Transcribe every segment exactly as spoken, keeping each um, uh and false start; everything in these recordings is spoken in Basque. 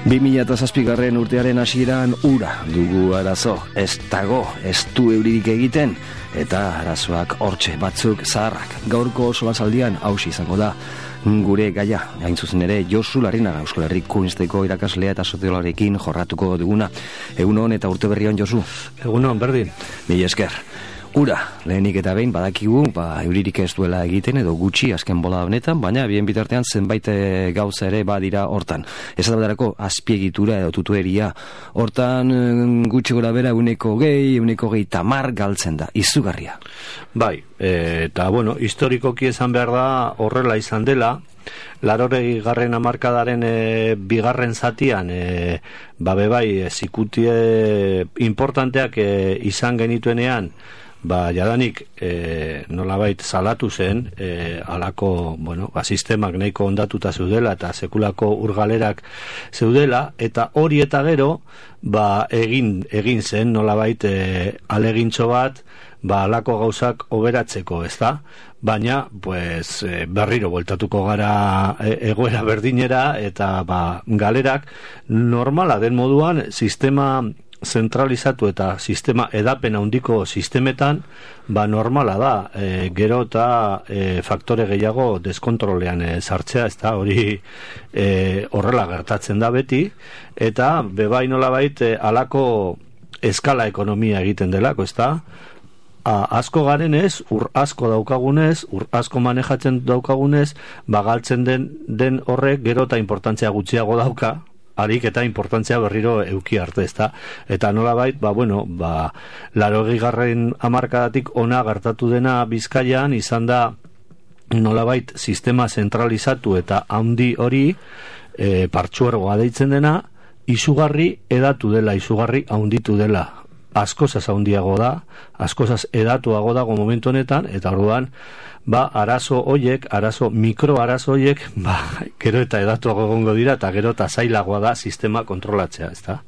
bi mila zazpigarren urtearen hasieran ura dugu arazo, ez dago, ez du euririk egiten, eta arazoak hortxe batzuk zaharrak. Gaurko solasaldian hausi izango da gure gaia, hain zuzen ere Josu Larrinaga, Euskal Herriko Kunsteko irakaslea eta soziologarekin jorratuko duguna. Egunon eta urte berrion, Josu. Egunon, berdin. Mila esker. Ura, lehenik eta behin badakigu, ba, euririk ez duela egiten edo gutxi azken bola honetan, baina bien bitartean zenbait gauza ere badira hortan. Ez adabadarako azpiegitura edo tutueria, hortan gutxi gora bera euneko gehi, euneko gehi tamar galtzen da, izugarria. Bai, eta bueno, historikoki esan behar da horrela izan dela, larorei garren amarkadaren e, bigarren zatian e, babe bai, zikutie importanteak e, izan genituenean, ba, jadanik e, nolabait salatu zen e, alako, bueno, ba, sistemak nahiko ondatuta zeudela eta sekulako urgalerak zeudela, eta hori eta gero ba, egin, egin zen nolabait e, alegintxo bat ba, alako gauzak oberatzeko, ez da? Baina, pues, e, berriro bueltatuko gara e, egoera berdinera eta ba, galerak normala den moduan sistema zentralizatu eta sistema edapen handiko sistemetan ba normala da e, gero eta e, faktore gehiago deskontrolean e, sartzea, ez da hori e, horrela gertatzen da beti, eta bebai nolabait e, alako eskala ekonomia egiten delako, ez da asko garenez, ur asko daukagunez, ur asko manejatzen daukagunez, bagaltzen den, den horrek gero eta importantzia gutxiago dauka, harik eta importantzia berriro euki arte, ezta? Eta nolabait, ba, bueno, ba, larogei garren hamarkadatik ona gertatu dena Bizkaian, izan da nolabait sistema zentralizatu eta handi hori, e, partzuergoa deitzen dena, izugarri edatu dela, izugarri handitu dela. Askozaz handiago da, askozaz edatuago dago momentu honetan, eta orduan, ba, arazo hoiek, arazo, mikro arazo hoiek, ba, gero eta edatuago egongo dira, eta gero eta zailagoa da sistema kontrolatzea, ez da?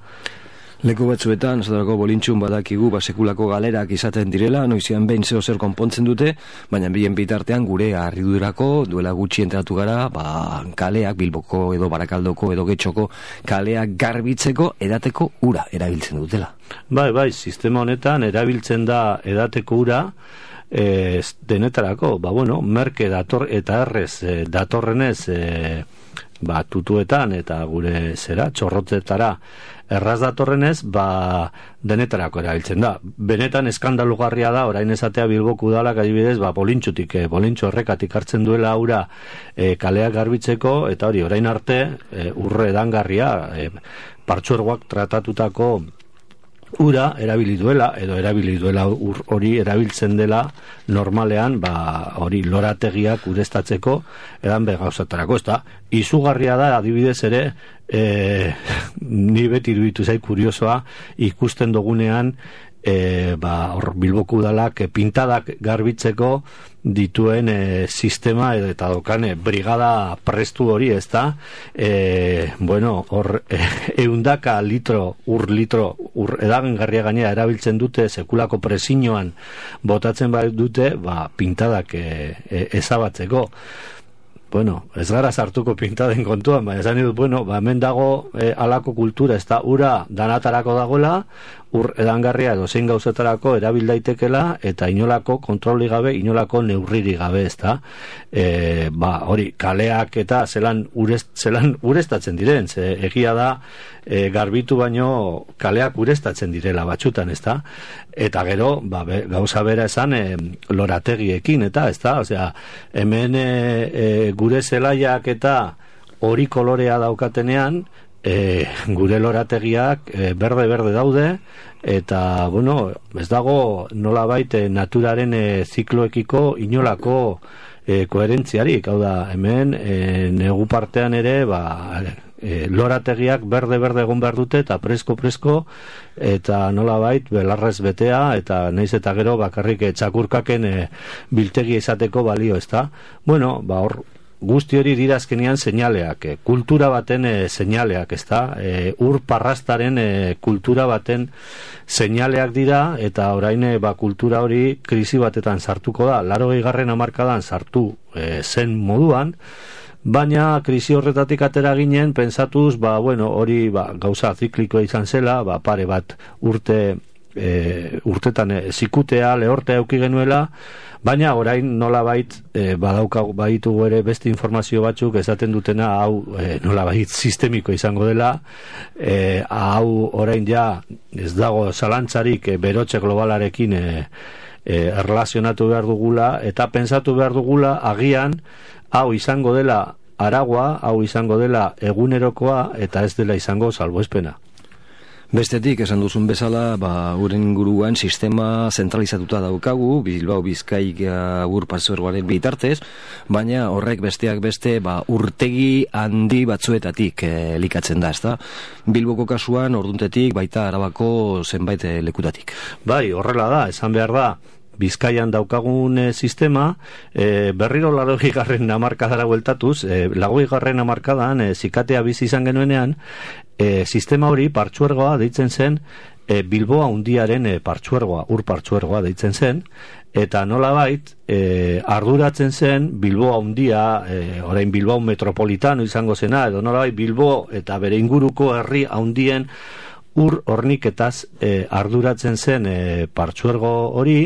Leku batzuetan, esaterako bolintxun badakigu, ba, sekulako galerak izaten direla, noizian behin zeo zer konpontzen dute, baina bien bitartean gure harridurako, duela gutxi entratu gara, ba, kaleak, Bilboko edo Barakaldoko edo Getxoko kaleak garbitzeko edateko ura erabiltzen dutela. Bai, bai, sistema honetan erabiltzen da edateko ura, e, denetarako, ba, bueno, merke dator eta errez e, datorrenez, e, ba, tutuetan eta gure zera, txorrotzetara erraz datorrenez, ba, denetarako erabiltzen da. Benetan eskandalugarria da, orain esatea Bilboku udalak adibidez, ba, bolintxutik, e, bolintxo errekatik hartzen duela aura e, kaleak garbitzeko, eta hori, orain arte, e, urre edangarria, e, partzuergoak tratatutako ura erabili duela, edo erabili duela ur hori erabiltzen dela normalean, ba, hori lorategiak ureztatzeko edan begauzatarako, ez da, izugarria da adibidez ere, e, ni beti iruditu zait kuriosoa ikusten dugunean, e, ba, hor Bilboku udalak e, pintadak garbitzeko dituen e, sistema edo eta dokane brigada prestu hori, ez da, e, bueno, hor e, eundaka litro, ur litro, ur edagengarria gainera erabiltzen dute sekulako presiñoan botatzen bai dute, ba, pintadak e, e, ezabatzeko. Bueno, ez gara sartuko pintaden kontuan, baina esan dut, bueno, ba, hemen dago e, alako kultura, ez da, ura danatarako dagoela, ur edangarria edo zein gauzetarako erabil daitekela, eta inolako kontroli gabe, inolako neurriri gabe, ez da. E, ba, hori, kaleak eta zelan, urest, zelan urestatzen diren, ze egia da, e, garbitu baino kaleak urestatzen direla batxutan, ez da. Eta gero, ba, be, gauza bera esan, e, lorategiekin, eta, ez da, osea, hemen e, e, gure zelaiak eta hori kolorea daukatenean, E, gure lorategiak e, berde-berde daude, eta, bueno, ez dago nolabait e, naturaren e, zikloekiko inolako e, koherentziarik, hau da, hemen e, negu partean ere, ba, e, lorategiak berde-berde egon behar dute, eta presko-presko, eta nolabait belarrez betea, eta naiz eta gero bakarrik e, txakurkaken e, biltegi izateko balio, ez da? Bueno, ba, hor, guzti hori dira azkenean seinaleak, e, kultura baten e, seinaleak, ez da, e, ur parrastaren e, kultura baten seinaleak dira, eta orain e, ba, kultura hori krisi batetan sartuko da, larogei garren hamarkadan sartu e, zen moduan, baina krisi horretatik atera ginen pentsatuz, ba, bueno, hori ba, gauza ziklikoa izan zela, ba, pare bat urte e, urtetan e, zikutea, lehortea euki genuela, baina orain nolabait e, badaukagu baitugu ere beste informazio batzuk esaten dutena hau e, nolabait sistemiko izango dela, e, hau orain ja ez dago zalantzarik e, berotze globalarekin e, e, erlazionatu behar dugula, eta pentsatu behar dugula agian hau izango dela aragua, hau izango dela egunerokoa, eta ez dela izango salbuespena. Bestetik, esan duzun bezala, ba, uren inguruan sistema zentralizatuta daukagu, Bilbao Bizkaia ur partzuergoaren bitartez, baina horrek besteak beste ba, urtegi handi batzuetatik e, elikatzen da, ezta? Bilboko kasuan, orduntetik, baita Arabako zenbait e, lekutatik. Bai, horrela da, esan behar da, Bizkaian daukagun e, sistema, e, berriro laurogei garren hamarkadara bueltatuz, e, laurogei garren hamarkadan e, zikatea bizi izan genuenean, e, sistema hori partzuergoa deitzen zen, e, Bilboa hundiaren e, partzuergoa, ur partzuergoa deitzen zen, eta nolabait e, arduratzen zen Bilboa hundia, e, orain Bilbao metropolitano izango zena, edo nolabait Bilbo eta bere inguruko herri handien ur horniketaz e, arduratzen zen e, partzuergo hori,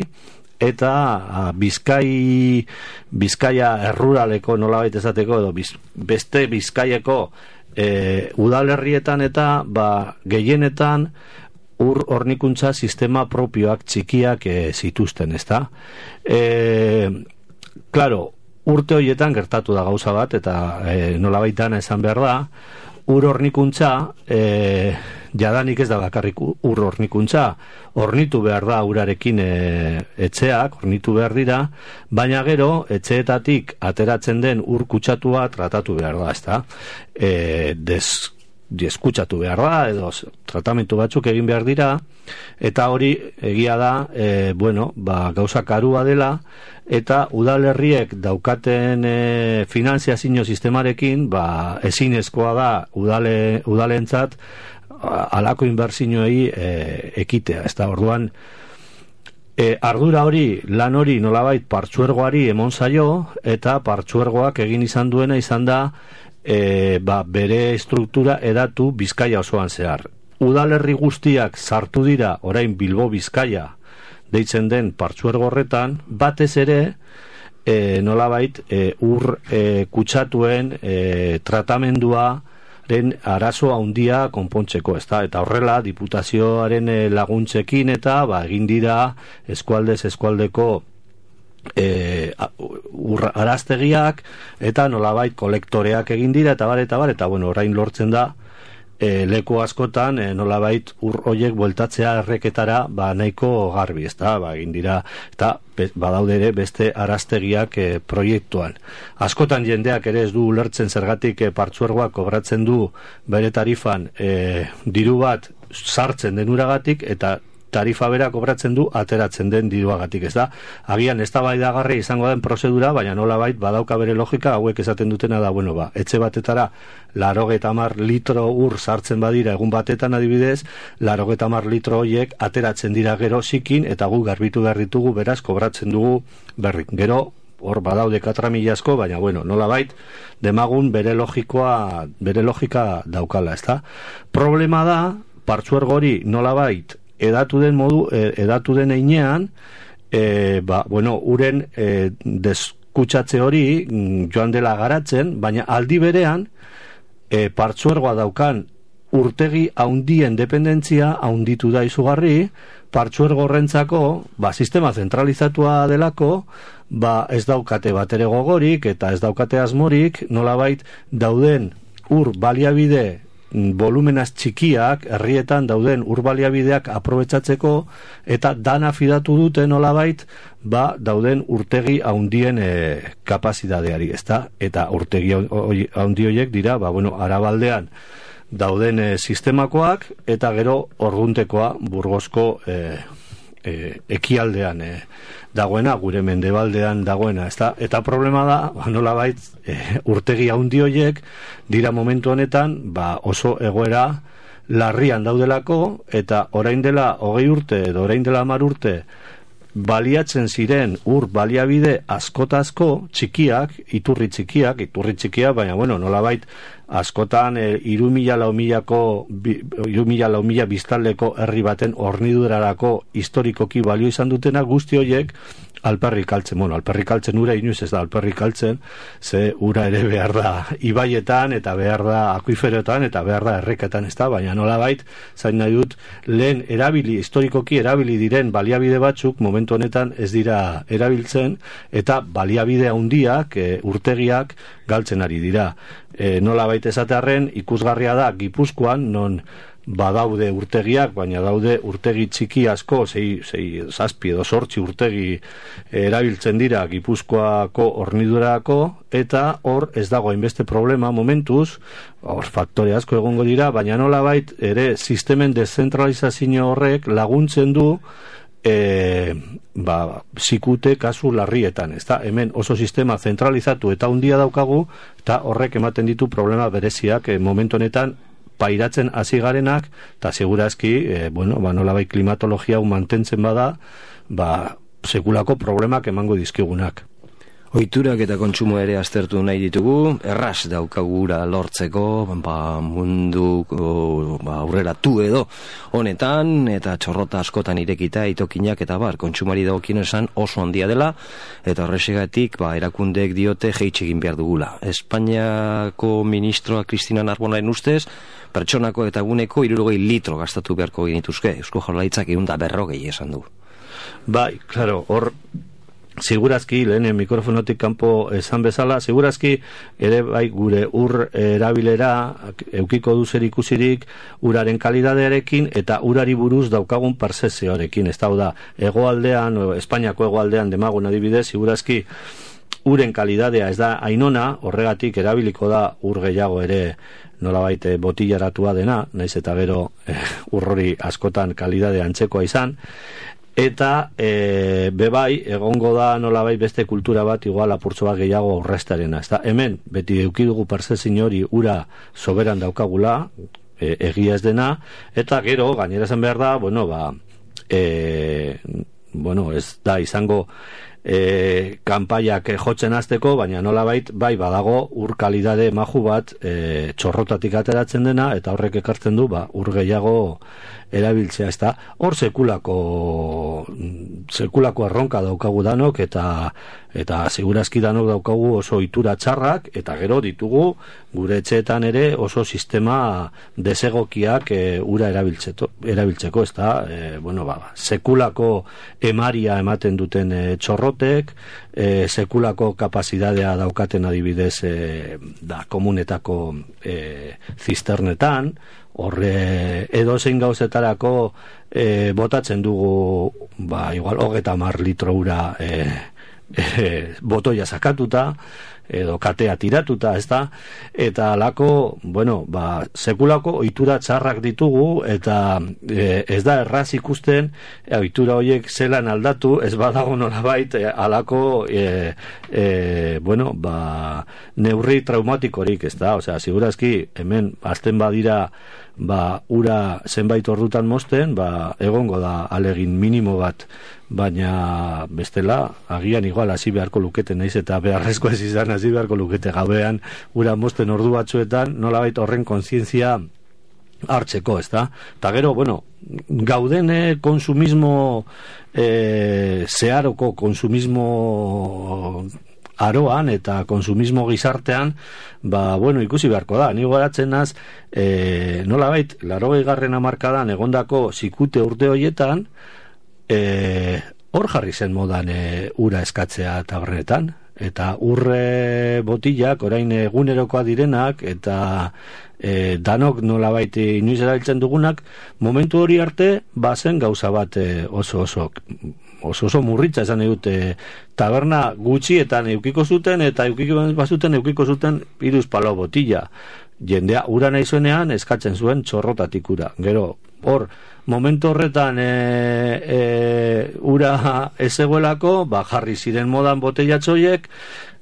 eta a, Bizkai Bizkaia erruraleko nolabait esateko edo biz, beste Bizkaieko e, udalerrietan eta ba, gehienetan ur hornikuntza sistema propioak txikiak e, zituzten, ezta? E, claro, urte horietan gertatu da gauza bat, eta e, nolabaitana esan behar da, ur hornikuntza e, jadanik ez da bakarrik ur hornikuntza, hornitu behar da urarekin e, etxeak, hornitu behar dira, baina gero etxeetatik ateratzen den ur kutsatua tratatu behar da, ezta? E, des, deskutsatu behar da, edo tratamentu batzuk egin behar dira, eta hori egia da, e, bueno, ba, gauza karua dela, eta udalerriek daukaten e, finanziazio sistemarekin, ba, ezinezkoa da udale, udalentzat alako inbertsioei e, ekitea, ez da, orduan e, ardura hori, lan hori nolabait partzuergoari emon zaio, eta partzuergoak egin izan duena izan da e, ba, bere struktura edatu Bizkaia osoan zehar. Udalerri guztiak sartu dira orain Bilbo Bizkaia deitzen den partzuergo horretan, batez ere e, nolabait e, ur e, kutsatuen e, tratamendua den arazo handia konpontzeko, ezta? Eta horrela diputazioaren e, laguntzekin eta ba, egin dira eskualdez eskualdeko e, ur araztegiak eta nolabait kolektoreak egin dira eta bar eta bar eta bueno, orain lortzen da E, leku askotan e, nolabait ur hoiek bueltatzea erreketara ba, nahiko garbi, ezta? Ba, egin dira eta be, badaude ere beste araztegiak e, proiektuan. Askotan jendeak ere ez du ulertzen zergatik e, partzuergoak kobratzen du bere tarifan e, diru bat sartzen denuragatik eta tarifa bera kobratzen du ateratzen den diruagatik, ez da? Agian eztabaidagarri izango den prozedura, baina nolabait badauka bere logika, hauek esaten dutena da, bueno, ba, etxe batetara laurogeita hamar litro ur sartzen badira egun batetan adibidez, laurogeita hamar litro hoiek ateratzen dira gero zikin eta gu garbitu behar ditugu, beraz kobratzen dugu berrik. Gero hor badaude katramila asko, baina bueno, nolabait demagun bere logikoa, bere logika daukala, ez da? Problema da, partzuergo hori nolabait edatu den modu, edatu den einean, e, ba, bueno, uren e, deskutsatze hori joan dela garatzen, baina aldi berean e, partzuergoa daukan urtegi haundien dependentzia haunditu da izugarri, partzuergo horrentzako, ba, sistema zentralizatua delako, ba, ez daukate batere gogorik eta ez daukate asmorik, nolabait dauden ur baliabide volumenaz txikiak, herrietan dauden urbaliabideak aprobetxatzeko eta dana fidatu dute nolabait, ba, dauden urtegi haundien e, kapazitateari, ezta? Eta urtegi haundi horiek dira, ba, bueno, Arabaldean dauden e, sistemakoak eta gero Orguntekoa Burgosko e, e, ekialdean e, dagoena, gure mendebaldean dagoena, ezta? Eta problema da, ba, nolabait, e, urtegi haundi horiek dira momentu honetan, ba, oso egoera larrian daudelako, eta orain dela hogei urte edo orain dela hamar urte baliatzen ziren ur baliabide askotazko txikiak, iturri txikiak, iturri txikiak, baina bueno, nolabait askotan e, iru mila lau milako iru mila lau mila biztanleko herri baten hornidurarako historikoki balio izan dutena guzti horiek alperrik altzen, bueno, alperrik altzen ura inoiz ez da alperrik altzen, ze ura ere behar da ibaietan eta behar da akuiferoetan eta behar da erreketan, ez da, baina nolabait zain nahi dut, lehen erabili, historikoki erabili diren baliabide batzuk momentu honetan ez dira erabiltzen eta baliabide handiak, e, urtegiak galtzen ari dira. E, nolabait esatearren ikusgarria da Gipuzkoan, non badaude urtegiak, baina daude urtegi txiki asko, sei, sei, zazpi edo sortzi urtegi erabiltzen dira Gipuzkoako hornidurako, eta hor ez dago hainbeste problema momentuz, hor faktore asko egongo dira, baina nolabait ere sistemen dezentralizazio horrek laguntzen du E, ba, zikute kasu larrietan, ezta? Hemen oso sistema zentralizatu eta handia daukagu, eta horrek ematen ditu problema bereziak e, momentu honetan pairatzen hasi garenak, eta segurazki, e, bueno, ba, nolabait klimatologia hau mantentzen bada, ba, sekulako problemak emango dizkigunak. Ohiturak eta kontsumo ere aztertu nahi ditugu, erraz daukagura lortzeko, ba, mundu ba, aurreratu edo honetan, eta txorrota askotan irekita, itokinak eta bar, kontsumari dagokien esan oso handia dela, eta horrexegatik ba, erakundeek diote jeitsi egin behar dugula. Espainiako ministroa Cristina Narbonaren ustez, pertsonako eta eguneko hirurogei litro gastatu beharko genituzke, Eusko Jaurlaritzak ehun eta berrogei esan du. Bai, claro, hor segurazki, lehen mikrofonotik kanpo esan bezala, segurazki ere bai gure ur erabilera eukiko du zer ikusirik uraren kalidadearekin eta urari buruz daukagun percepzioarekin, ez da, hegoaldean, Espainiako hegoaldean demagun adibidez, segurazki uren kalidadea ez da ainona, horregatik erabiliko da ur gehiago ere nolabait botillaratua dena, naiz eta gero eh, urrori askotan kalidade antzekoa izan, eta e, bebai egongo da nolabait beste kultura bat igual apurtxo bat gehiago aurrestarena, ez da, hemen beti eukidugu percepzio hori ura soberan daukagula, e, egia ez dena, eta gero gainera esan behar da, bueno, ba e, bueno, ez da izango e, kanpaiak jotzen hasteko, baina nolabait bai badago ur kalidade maju bat e, txorrotatik ateratzen dena, eta horrek ekartzen du ba, ur gehiago erabiltzea, ez da, hor sekulako sekulako erronka daukagu danok, eta eta segurazki danok daukagu oso itura txarrak, eta gero ditugu gure etxeetan ere oso sistema desegokiak e, ura erabiltzeko, erabiltzeko, ez da, e, bueno, ba, sekulako emaria ematen duten e, txorrotek, e, sekulako kapazitatea daukaten adibidez e, da komunetako e, zisternetan, horre edo zein gauzetarako e, botatzen dugu ba, igual hogeta mar litro ura e, e, botoia sakatuta edo katea tiratuta, ez da, eta alako, bueno, ba, sekulako ohitura txarrak ditugu, eta e, ez da erraz ikusten e, ohitura horiek zelan aldatu, ez badago nolabait e, alako e, e, bueno, ba, neurri traumatikorik, ez da, osea, segurazki hemen azten badira ba, ura zenbait ordutan mozten, ba, egongo da alegin minimo bat, baina bestela agian igual hasi beharko lukete, naiz eta beharrezko ez izan hasi beharko lukete gabean ura mozten ordu batzuetan, nolabait horren kontzientzia hartzeko, ez da? Eta gero, bueno, gauden eh, konsumismo eh, zeharoko konsumismo aroan eta konsumismo gizartean, ba, bueno, ikusi beharko da. Ni goratzen naz, e, nolabait, laurogei garren hamarkadan egondako zikute urte horietan, e, hor jarri zen modan e, ura eskatzea tabernetan, eta urre botillak, orain egunerokoa direnak, eta e, danok nolabait inoiz erabiltzen dugunak, momentu hori arte, bazen gauza bat e, oso oso oso oso murritza esan dute, taberna gutxietan eukiko zuten, eta eukiko bazuten eukiko zuten hiruz palau botilla. Jendea ura nahi zuenean eskatzen zuen txorrotatik ura. Gero, hor, momentu horretan e, e, ura ez egoelako, ba, jarri ziren modan botellatxoiek,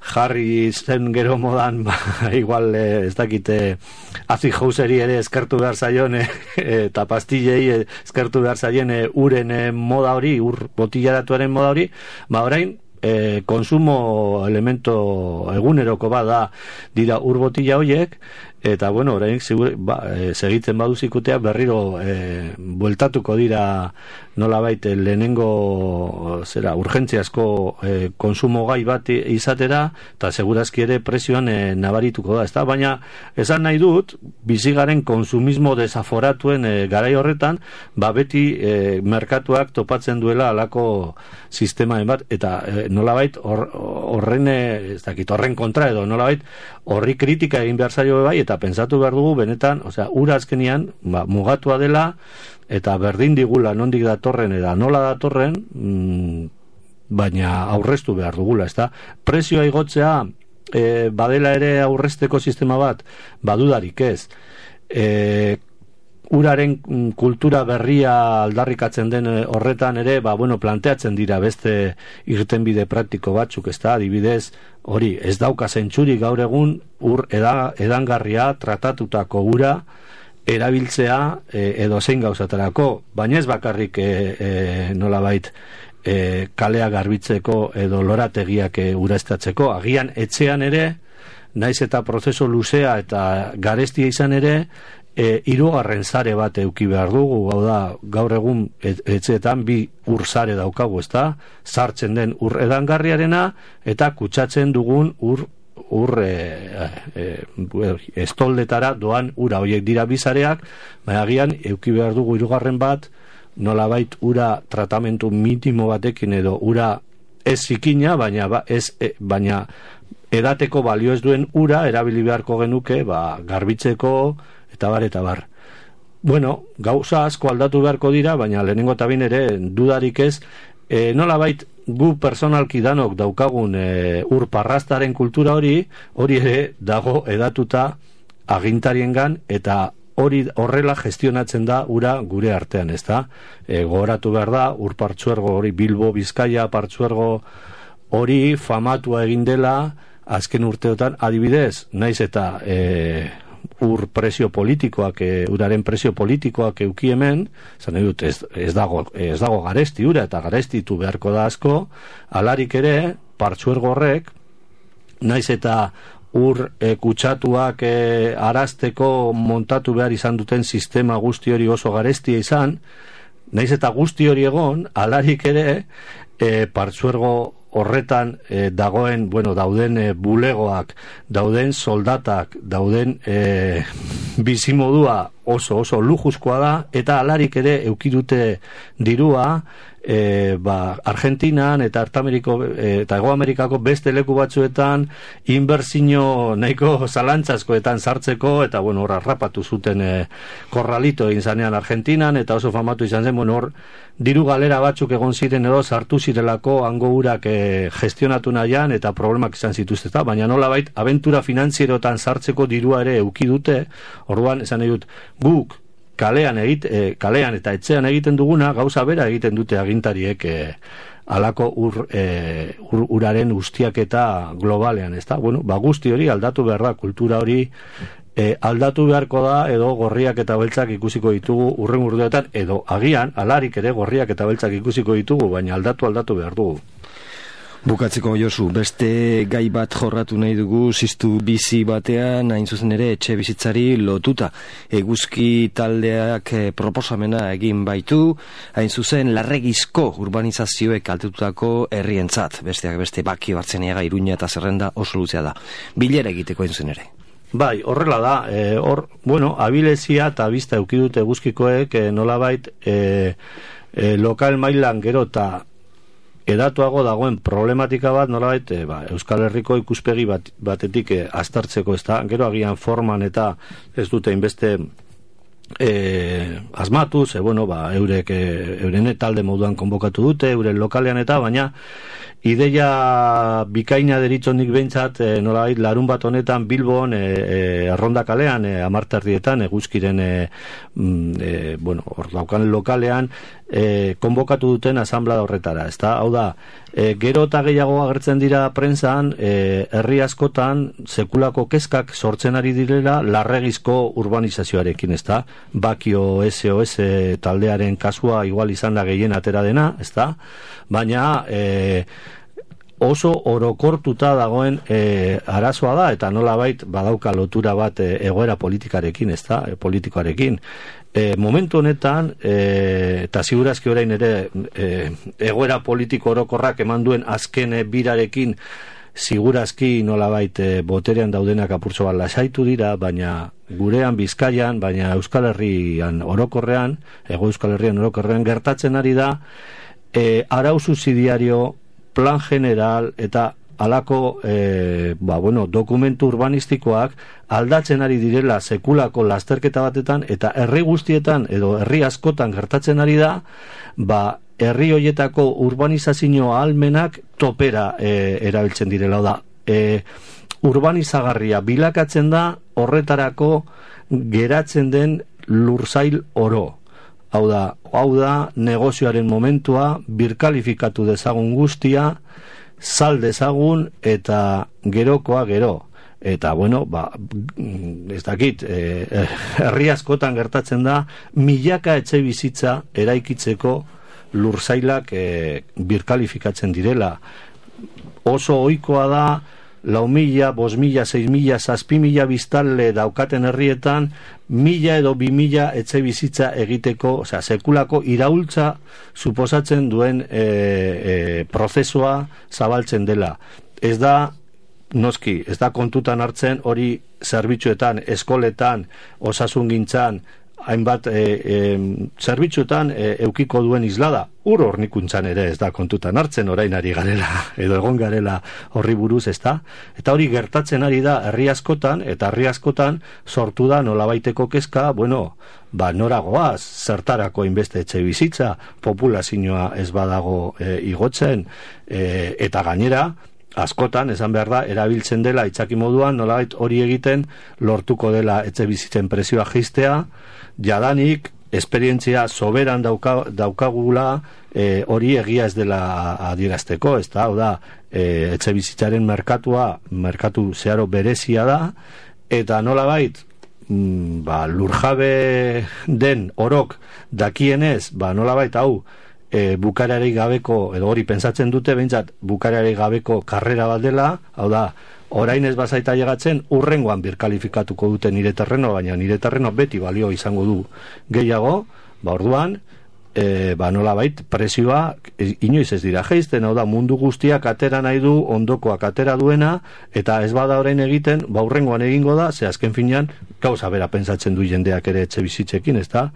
jarri zen gero modan, ba, igual e, ez dakite azi jauseri ere eskertu behar zaion e, eta pastillei e, eskertu behar zaien e, uren e, moda hori, ur botillaratuaren moda hori, ba orain e, konsumo elemento eguneroko bada dira ur botilla horiek, eta bueno, orain sigur, ba, e, segitzen baduzikutea berriro e, bueltatuko dira nolabait lehenengo zera urgentziazko e, konsumo gai bat izatera, eta segurazki ere prezioan e, nabarituko da, ezta? Baina esan nahi dut, bizigaren konsumismo desaforatuen e, garai horretan, ba beti e, merkatuak topatzen duela alako sistema bat, eta e, nolabait horren or, ez dakit, horren kontra edo nolabait horri kritika egin behar zaio bai, eta pentsatu behar dugu benetan, osea, ura azkenian ba, mugatua dela, eta berdin digula nondik datorren eta nola datorren, mm, baina aurreztu behar dugula, ezta? Prezioa igotzea e, badela ere aurrezteko sistema bat, badudarik ez. E, uraren kultura berria aldarrikatzen den horretan ere, ba, bueno, planteatzen dira beste irtenbide praktiko batzuk, ezta? Adibidez, hori, ez dauka zentsuri gaur egun ur eda, edangarria tratatutako ura erabiltzea e, edo zein gauzatarako, baina ez bakarrik e, e, nolabait e, kalea garbitzeko edo lorategiak e, ureztatzeko, agian etxean ere, naiz eta prozesu luzea eta garestia izan ere, E, hirugarren sare bat euki behar dugu, gau da, gaur egun et, etxeetan bi ur sare daukagu, ezta? Sartzen den ur edangarriarena eta kutsatzen dugun ur ur e, e, estoldetara doan ura, horiek dira bizareak, baina agian euki behar dugu hirugarren bat, nolabait ura tratamentu minimo batekin edo ura ez zikina, baina ba, ez, e, baina edateko balio ez duen ura erabili beharko genuke, ba, garbitzeko eta bar, eta bar. Bueno, gauza asko aldatu beharko dira, baina lehenengo eta bin ere dudarik ez, e, nolabait gu personalki danok daukagun e, ur parrastaren kultura hori, hori ere dago edatuta agintariengan, eta hori horrela gestionatzen da ura gure artean, ezta? E, gogoratu behar da, ur partzuergo hori Bilbo, Bizkaia partzuergo hori famatua egin dela azken urteotan, adibidez, naiz eta e, ur prezio politikoak, e, uraren prezio politikoak euki hemen, zan edut, ez, ez, dago, ez dago garesti ura, eta garestitu beharko da asko, alarik ere, partzuergo horrek, naiz eta ur e, kutsatuak e, arazteko montatu behar izan duten sistema guzti hori oso garestia izan, naiz eta guzti hori egon, alarik ere, e, partzuergo horretan e, dagoen, bueno, dauden e, bulegoak, dauden soldatak, dauden e, bizimodua oso oso lujuzkoa da, eta alarik ere eukidute dirua e, ba, Argentinan eta Artameriko e, eta Ego Amerikako beste leku batzuetan inbertsio nahiko zalantzazkoetan sartzeko, eta bueno, hor arrapatu zuten e, korralito egin zanean Argentinan, eta oso famatu izan zen, bueno, hor diru galera batzuk egon ziren edo sartu zirelako hango urak e, gestionatu nahian eta problemak izan zituzteta, baina nolabait abentura finanzierotan sartzeko dirua ere euki dute. Orduan esan nahi dut, guk kalean egit, e, kalean eta etxean egiten duguna gauza bera egiten dute agintariek e, alako ur, e, ur, uraren ustiaketa globalean, ezta? Bueno, ba guzti hori aldatu behar da, kultura hori e, aldatu beharko da, edo gorriak eta beltzak ikusiko ditugu urren urteetan, edo agian alarik ere gorriak eta beltzak ikusiko ditugu, baina aldatu aldatu behar dugu. Bukatzeko, Josu, beste gai bat jorratu nahi dugu ziztu bizi batean, hain zuzen ere etxe bizitzari lotuta. Eguzki taldeak eh, proposamena egin baitu, hain zuzen larregizko urbanizazioek kaltetutako herrientzat, besteak beste Baki, Bartzeniaga, Iruña eta Zerrenda oso luzea da. Bilera egiteko hain zuzen ere. Bai, horrela da, e, hor, bueno, abilezia eta bizta eukidut eguzkikoek e, nolabait e, e, lokal mailan gero eta edatuago dagoen problematika bat nolabait e, ba, Euskal Herriko ikuspegi bat, batetik e, aztertzeko, ez da, gero agian forman eta ez dute inbeste e, asmatu, ze bueno, ba, eurek e, euren talde moduan konbokatu dute, euren lokalean eta, baina ideia bikaina deritzonik behintzat, e, nolabait larun bat honetan Bilbon, e, e, Erronda kalean, e, amarterdietan, eguzkiren, e, e, bueno, hor daukan lokalean, e, konbokatu duten asamblea horretara, ezta? Hau da, e, gero eta gehiago agertzen dira prentsan, e, herri askotan sekulako kezkak sortzen ari direla larregizko urbanizazioarekin, ezta? Bakio S O S taldearen kasua igual izan da gehien atera dena, ezta? Baina e, oso orokortuta dagoen e, arazoa da, eta nolabait badauka lotura bat e, egoera politikarekin, ezta? E, politikoarekin. E, momentu honetan, e, eta segurazki orain ere e, egoera politiko orokorrak eman duen azken birarekin segurazki nolabait e, boterean daudenak apurtxo bat lasaitu dira, baina gurean Bizkaian, baina Euskal Herrian orokorrean, ego Euskal Herrian orokorrean gertatzen ari da, e, arau subsidiario, plan general eta alako e, ba, bueno, dokumentu urbanistikoak aldatzen ari direla sekulako lasterketa batetan, eta herri guztietan edo herri askotan gertatzen ari da, ba, herri hoietako urbanizazio ahalmenak topera e, erabiltzen direla da. E, urbanizagarria bilakatzen da horretarako geratzen den lursail oro. Hau da, hau da negozioaren momentua, birkalifikatu dezagun guztia, sal dezagun eta gerokoa gero. Eta, bueno, ba, ez dakit, e, herri askotan gertatzen da, milaka etxe bizitza eraikitzeko lursailak e, birkalifikatzen direla. Oso ohikoa da, lau mila, bos mila, seis mila, zazpi mila biztanle daukaten herrietan, mila edo bi mila etxe bizitza egiteko, osea, sekulako iraultza suposatzen duen e, e, prozesua zabaltzen dela. Ez da, noski, ez da kontutan hartzen hori zerbitzuetan, eskoletan, osasungintzan, hainbat e, e, zerbitzuetan e, eukiko duen islada, ur hornikuntzan ere ez da kontutan hartzen, orain ari garela, edo egon garela horri buruz, ez da? Eta hori gertatzen ari da herri askotan, eta herri askotan sortu da nolabaiteko kezka, bueno, ba, noragoaz, zertarako inbeste etxe bizitza, populazioa ez badago e, igotzen, e, eta gainera, askotan, esan behar da, erabiltzen dela itzaki moduan, nolabait hori egiten lortuko dela etxe bizitzen prezioa jaistea, jadanik, esperientzia soberan dauka, daukagula e, hori egia ez dela adierazteko, ez da, hau da, e, etxe bizitzaren merkatua, merkatu zeharo berezia da, eta nolabait, mm, ba, lurjabe den orok dakienez, ba, nolabait, hau, E, bukarerik gabeko, edo hori pentsatzen dute, behintzat, bukarerik gabeko karrera bat dela, hau da, orain ez bazaita llegatzen, urrengoan birkalifikatuko dute nire terreno, baina nire terreno beti balio izango du gehiago, ba orduan, e, ba nolabait, presioa inoiz ez dira jaisten, hau da, mundu guztiak atera nahi du, ondokoak atera duena, eta ez bada orain egiten, ba urrengoan egingo da, ze azken finean, gauza bera pentsatzen du jendeak ere etxe bizitzekin, ez da,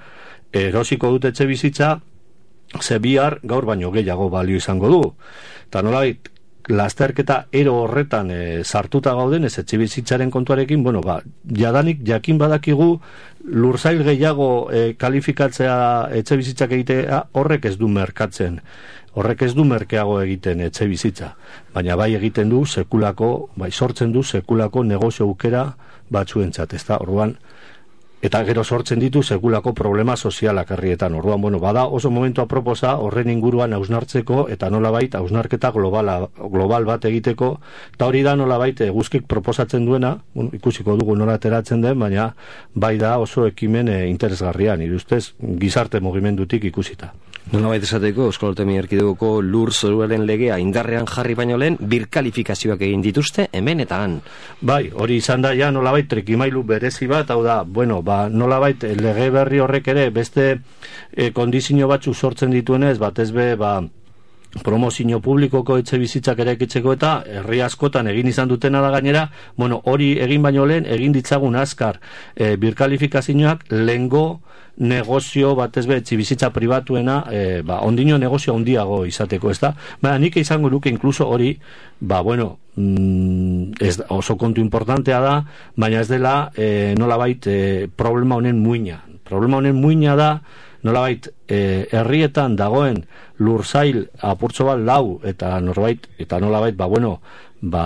erosiko dute etxe bizitza, ze bihar gaur baino gehiago balio izango du. Eta nolabait, lasterketa ero horretan e, sartuta gauden ez etxe bizitzaren kontuarekin, bueno, ba, jadanik jakin badakigu lursail gehiago e, kalifikatzea etxe bizitzak egitea horrek ez du merkatzen. Horrek ez du merkeago egiten etxe bizitza. Baina bai egiten du sekulako, bai sortzen du sekulako negozio aukera batzuentzat, ezta? Orduan, eta gero sortzen ditu sekulako problema sozialak herrietan. Orduan, bueno, bada oso momentu aproposa horren inguruan hausnartzeko eta nolabait hausnarketa globala, global bat egiteko, eta hori da nolabait eguzkik proposatzen duena, bueno, ikusiko dugu nola ateratzen den, baina bai da oso ekimen e, interesgarrian, nire ustez gizarte mugimendutik ikusita. Nolabait esateko, Euskal Autonomia Erkidegoko lur zoruaren legea indarrean jarri baino lehen, birkalifikazioak egin dituzte hemen eta han. Bai, hori izan da ja nolabait trikimailu berezi bat, hau da, bueno, ba, nolabait lege berri horrek ere beste e, kondizio batzu sortzen dituenez, batez be, ba, promozio publikoko etxe bizitzak eraikitzeko eta herri askotan egin izan dutena da gainera, bueno, hori egin baino lehen, egin ditzagun azkar e, birkalifikazioak lehengo negozio batez be etxe bizitza pribatuena, e, ba, ondino negozio handiago izateko, ez da? Baina nik izango luke inkluso hori, ba, bueno, mm, ez, oso kontu importantea da, baina ez dela e, nolabait e, problema honen muina. Problema honen muina da, nolabait, e, herrietan dagoen lursail apurtxo bat lau, eta norbait, eta nolabait, ba, bueno, ba,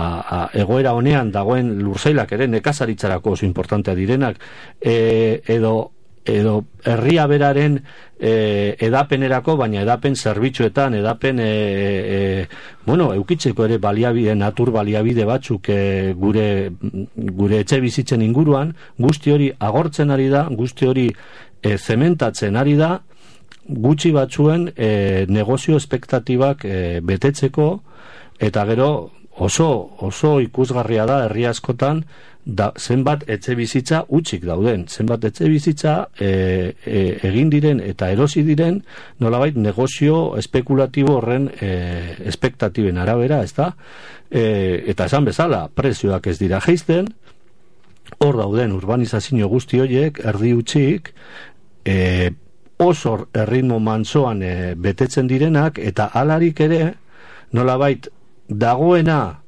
egoera honean dagoen lursailak ere nekazaritzarako oso importantea direnak, e, edo edo herria beraren e, edapenerako, baina edapen zerbitzuetan, edapen e, e, bueno, eukitzeko ere baliabide, natur baliabide batzuk e, gure, gure etxe bizitzen inguruan, guzti hori agortzen ari da, guzti hori e, zementatzen ari da, gutxi batzuen e, negozio espektatibak e, betetzeko, eta gero oso, oso ikusgarria da herri askotan, da, zenbat etxe bizitza utzik dauden, zenbat etxe bizitza e, e, egin diren eta erosi diren nolabait negozio espekulatibo horren e, espektatiben arabera, ez da? E, eta esan bezala, prezioak ez dira jaisten, hor dauden urbanizazio guzti horiek, erdi utzik, e, oso erritmo mantsoan e, betetzen direnak, eta alarik ere, nolabait dagoena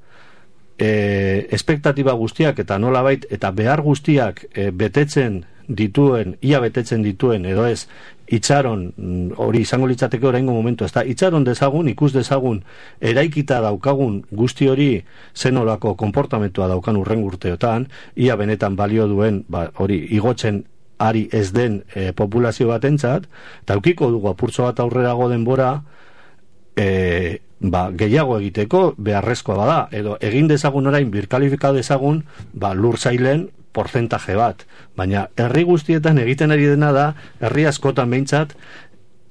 E, espektatiba guztiak eta nolabait eta behar guztiak e, betetzen dituen, ia betetzen dituen edo ez, itxaron hori izango litzateke oraingo momentu, ez da, itxaron dezagun, ikus dezagun eraikita daukagun guzti hori zenolako konportamentua daukan urren urteotan, ia benetan balio duen, ba, hori igotzen ari ez den e, populazio batentzat, eta aukiko dugu apurtxo bat aurrerago denbora e, ba, gehiago egiteko beharrezkoa bada, edo egin dezagun orain birkalifika dezagun ba, lursailen porcentaje bat, baina herri guztietan egiten ari dena da, herri askotan behintzat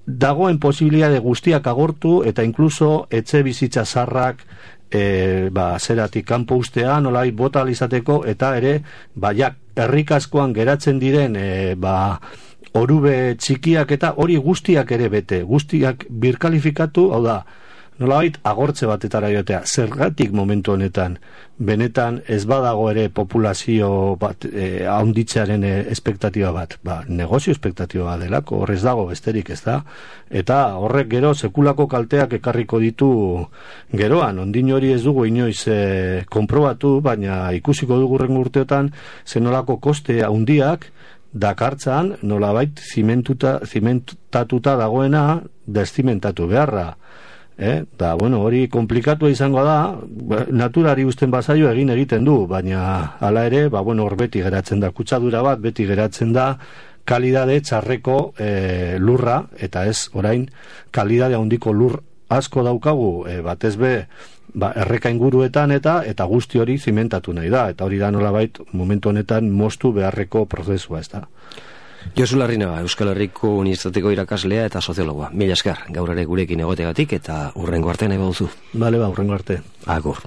dagoen posibilitate guztiak agortu eta inkluso etxe bizitza zarrak e, ba, zeratik kanpo ustea nolai bota alizateko, eta ere ba, ja, herrik askoan geratzen diren e, ba, orube txikiak eta hori guztiak ere bete, guztiak birkalifikatu, hau da, nolabait agortze batetara joatea, zergatik momentu honetan, benetan ez badago ere populazio bat, e, haunditzearen e, espektatiba bat, ba, negozio espektatiba bat delako, horrez dago besterik, ez da, eta horrek gero sekulako kalteak ekarriko ditu geroan, ondin hori ez dugu inoiz e, konprobatu, baina ikusiko dugu rengo urteotan, zenolako koste haundiak, dakartzan nolabait zimentuta, zimentatuta dagoena deszimentatu beharra. Eh? Da, bueno, hori komplikatua izango da, naturari usten bazaio egin egiten du, baina hala ere, ba, bueno, hor beti geratzen da, kutsadura bat, beti geratzen da, kalidade txarreko e, lurra, eta ez, orain, kalidade handiko lur asko daukagu, e, batez be, ba, erreka inguruetan eta eta guzti hori zimentatu nahi da, eta hori da nolabait momentu honetan moztu beharreko prozesua, ez da. Josu Larrinaga, Euskal Herriko Unibertsitateko irakaslea eta soziologoa. Mila esker, gaur ere gurekin egotegatik eta hurrengo arte nahi baduzu. Bale, ba, hurrengo arte. Agur.